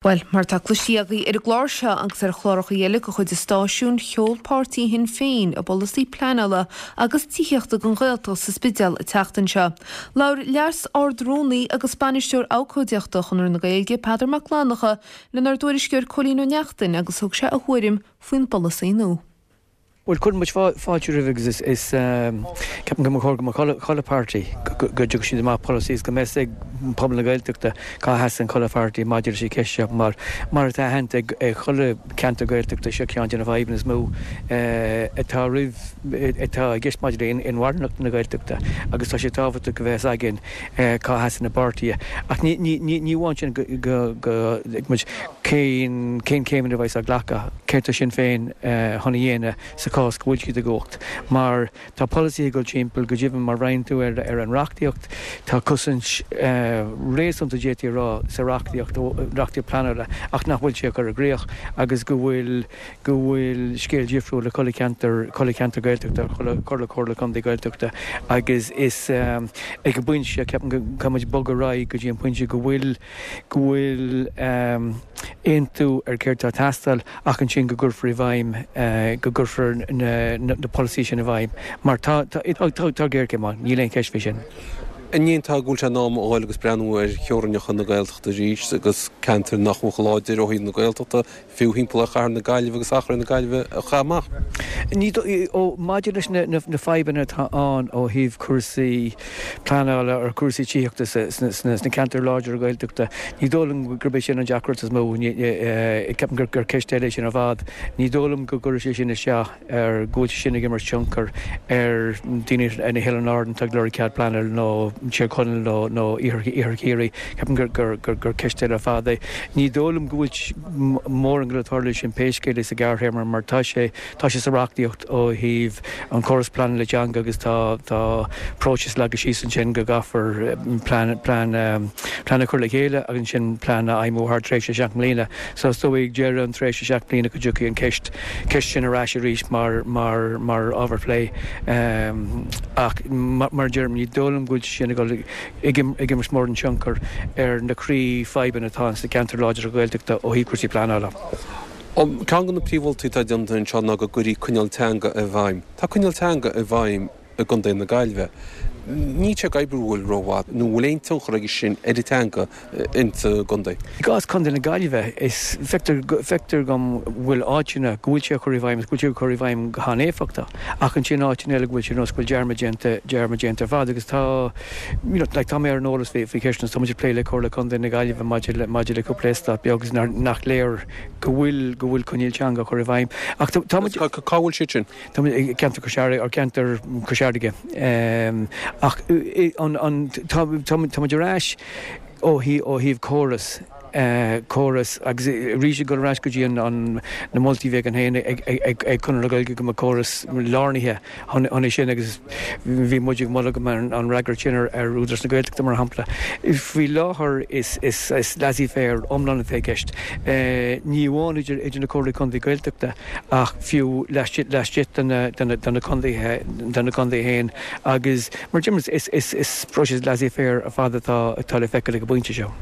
Bhuel, mar atá cloiste agaibh ar an gclár seo agus ar chláracha eile de chuid an stáisiúin, sheol páirtí Shinn Féin a bpolasaí pleanála agus tithíochta don Ghaeltacht sa Spidéal an tseachtain seo. Labhair Leas-Ard-Rúnaí agus Bainisteoir Abhcóideachta Chonradh na Gaeilge, Peadar Mac Fhlannchadha, lenár dtuairisceoir Cóilín Ó Neachtain agus thug sé a thuairim faoin bpolasaí nua. Bhuel, cuireann muid fáilte roimhe agus is ceapaim go mba chóir go mbeadh chuile pháirtí, go dtiocfadh siad amach polasaí is go mbeadh a fhios ag pobal na Gaeltachta cá sheasann chuile pháirtí maidir leis an cheist seo mar, mar atá aitheanta ag chuile cheantar Gaeltachta, seo ceann de na fadhbanna is mó atá roimh, atá i gceist maidir le inmharthanacht na Gaeltachta agus tá sé tábhachtach go mbeadh a fhios againn cá sheasann na páirtithe. Ach ní, ní, ní amháin sin go, go, go, muid. Cén céimeanna a bheas á glacadh? Céard tá Sinn Féin chun a dhéanamh sa chás go bhfuil siad i gcumhacht? Mar tá polasaithe ag dul timpeall, go deimhin má bhreathnaíonn tú ar an reachtaíocht, tá cosaint réasúnta d'fhéadfaí a rá sa reachtaíocht, reachtaíocht pleanála, ach nach bhfuil sé á cur i gcrích agus go bhfuil go bhfuil scéal difriúil ag chuile cheantar, chuile cheantar Gaeltachta, chuile chuile chomhairle contae Gaeltachta agus is ag an bpointe seo ceapaim go caithfidh muid bogadh ar aghaidh go dtí an pointe go bhfuil go bhfuil aontú ar céard atá ag teastáil ach ansin go gcuirfear i bhfeidhm, go gcuirfear na polasaithe sin i bhfeidhm mar tá tá géarchéim ann, níl aon cheist faoi sin. An ndéarfá go bhfuil sé in am a dhul agus breathnú ar theorainneacha na Gaeltachta arís agus ceantair nach bhfuil chomh láidir ó thaobh na Gaeltachta fiú thimpeall ar chathair na Gaillimhe agus achar na Gaillimhe a chaitheamh amach. Ní ó, maidir leis na fadhbanna atá ann ó thaobh cúrsaí pleanála or cúrsaí tithíochta sna ceantair láidre Gaeltachta, ní dóigh liom gurb é sin an deacracht is mó. Ceapaim gur ceist eile é sin ar fad. Ní dóigh liom go gcuirfidh sé sin isteach. ar go bhfuil sé sin ag imirt tionchar ar daoine ar na hOileáin Árann atá ag lorg cead pleanála nó Tír Chonaill nó nó Iarthar Chiarraí. Ceapaim gur gur gur gur ceist eile ar fad é. Ní dóigh liom go bhfuil mórán ag dul ag tarlú sin pé scéal é sa ghearrthéarma mar tá sé tá sé sa reachtaíocht ó thaobh an córas pleanála teanga agus tá tá próiseas leagtha síos ansin go gcaithfear plean plean plean a chur le chéile agus ansin plean a fheidhmiú thar tréimhse 7 mbliana. So is dóigh ag deireadh an tréimhse 7 mbliana go dtiocfaidh an ceist ceist sin ar ais arís mar, mar, mar ábhar plé. Ach mar a deirim, ní dóigh liom go bhfuil sé sin ag dul ag, ag imirt mórán tionchar ar na croí-fhadhbanna atá ann sna ceantair láidre Ghaeltachta ó thaobh cúrsaí pleanála. Ceann de na príomh-mholtaí atá déanta anseo ná go gcuirfí coinníoll teanga i bhfeidhm. Tá coinníoll teanga i bhfeidhm i gContae na Gaillimhe. Níl sé ag oibriú rómhaith, nó an bhfuil aon tionchar aige sin ar an teanga insa gcontae? I gcás Chontae na Gaillimhe, is feictear, feictear dom go bhfuil áiteanna go bhfuil sé á chur i bhfeidhm agus go bhfuil sé á chur i bhfeidhm go han-éifeachtach, ach ansin áiteanna eile go bhfuil sé nós go bhfuil dearmad déanta, dearmad déanta ar fad agus tá, you know, like tá mé ar an eolas faoi, faoi cheisteanna, tá muid ag plé le Comhairle Contae na Gaillimhe maidir le, maidir le cúpla eastát beag agus nach léir go bhfuil, go bhfuil coinníoll teanga á chur i bhfeidhm. Ach tá, tá muid. Cá bhfuil siad sin? Tá muid i gceantar Chois Fharraige, or ceantar Chois Fharraige, ach an, tá, tá muid ar ais ó thaobh, ó thaobh córas, córas agus arís ag dul ar ais go dtí an, an, na moltaí a bhí againn féin ag, ag, ag Conradh na Gaeilge go mbeadh córas lárnaithe chun, chun é sin agus bhí muid ag moladh go mbeadh an fhreagracht sin ar, ar Údarás na Gaeltachta mar shampla. Faoi láthair is, is, is laissez-faire iomlán atá i gceist. Ní amháin idir, idir na Comhairlí Contae Gaeltachta, ach fiú laistigh de na contaetha féin agus mar a deirim is próiseas laissez-faire ar fad atá le feiceáil ag an bpointe seo.